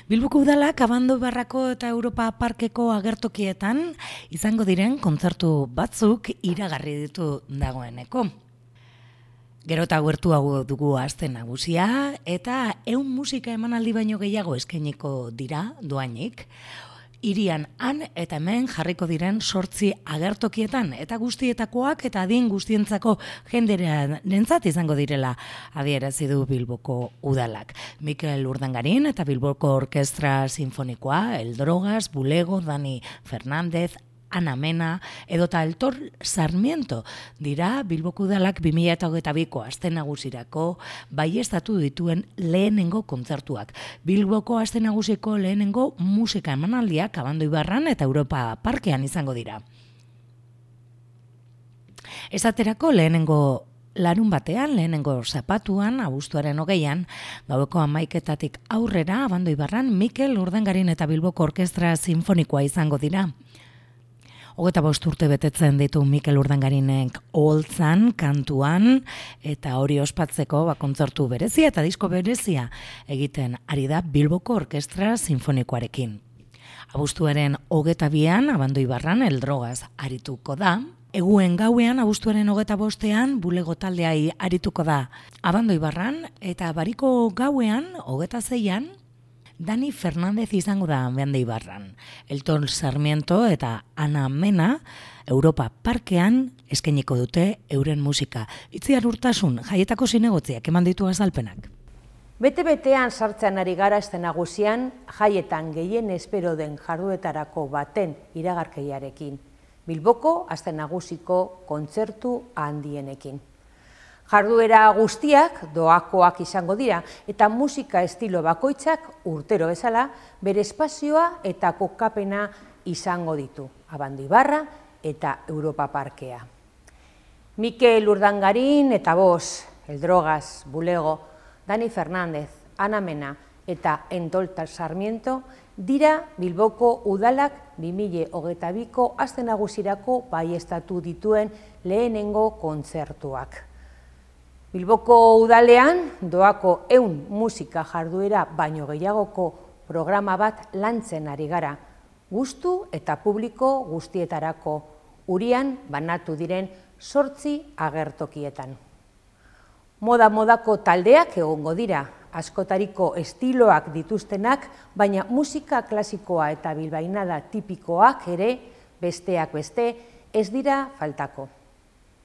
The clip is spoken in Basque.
Bilboko udalak Abando Barrako eta Europa Parkeko agertokietan izango diren kontzertu batzuk iragarri ditu dagoeneko. Gero eta gertuago dugu aste nagusia eta 100 musika emanaldi baino gehiago eskainiko dira doainik. Hirian han eta hemen jarriko diren 8 agertokietan eta guztietakoak eta adin guztientzako jendearentzat izango direla adierazi du Bilboko udalak. Mikel Urdangarin eta Bilboko Orkestra Sinfonikoa, El Drogas, Bulego, Dani Fernández, Ana Mena edota Aitor Sarmiento dira Bilboko udalak 2022ko aste nagusirako baieztatu dituen lehenengo kontzertuak. Bilboko aste nagusiko lehenengo musika emanaldiak Abando Ibarran eta Europa Parkean izango dira. Esaterako lehenengo larun batean, lehenengo zapatuan, abuztuaren 20an, gaueko 11etatik aurrera Abando Ibarran Mikel Urdangarin eta Bilboko Orkestra Sinfonikoa izango dira. 25 urte betetzen ditu Mikel Urdangarinek oholtzan, kantuan, eta hori ospatzeko kontzertu berezia eta disko berezia egiten ari da Bilboko Orkestra Sinfonikoarekin. Abuztuaren 22an, Abando Ibarran, El Drogas arituko da. Eguen gauean, abuztuaren 25ean, Bulego taldeai arituko da Abando Ibarran, eta Bariko gauean, 26an, Dani Fernández izango da Abando Ibarran. Aitor Sarmiento eta Ana Mena Europa Parkean eskainiko dute euren musika. Itziar Urtasun, Jaietako zinegotziak eman ditu azalpenak. Bete-betean sartzen ari gara este nagusian, jaietan gehien espero den jarduetarako baten iragarkeiarekin. Bilboko aste nagusiko kontzertu handienekin. Jarduera guztiak doakoak izango dira eta musika estilo bakoitzak urtero bezala bere espazioa eta kokapena izango ditu. Abando Ibarra eta Europa Parkea. Mikel Urdangarin eta Bos, El Drogas, Bulego, Dani Fernández, Ana Mena eta Aitor Sarmiento dira Bilboko udalak 2022ko aste nagusirako baieztatu dituen lehenengo kontzertuak. Bilboko udalean doako 100 musika jarduera baino gehiagoko programa bat lantzen ari gara, gustu eta publiko guztietarako, Urian banatu diren 8 agertokietan. Moda-modako taldeak egongo dira, askotariko estiloak dituztenak, baina musika klasikoa eta bilbainada tipikoak ere besteak beste ez dira faltako.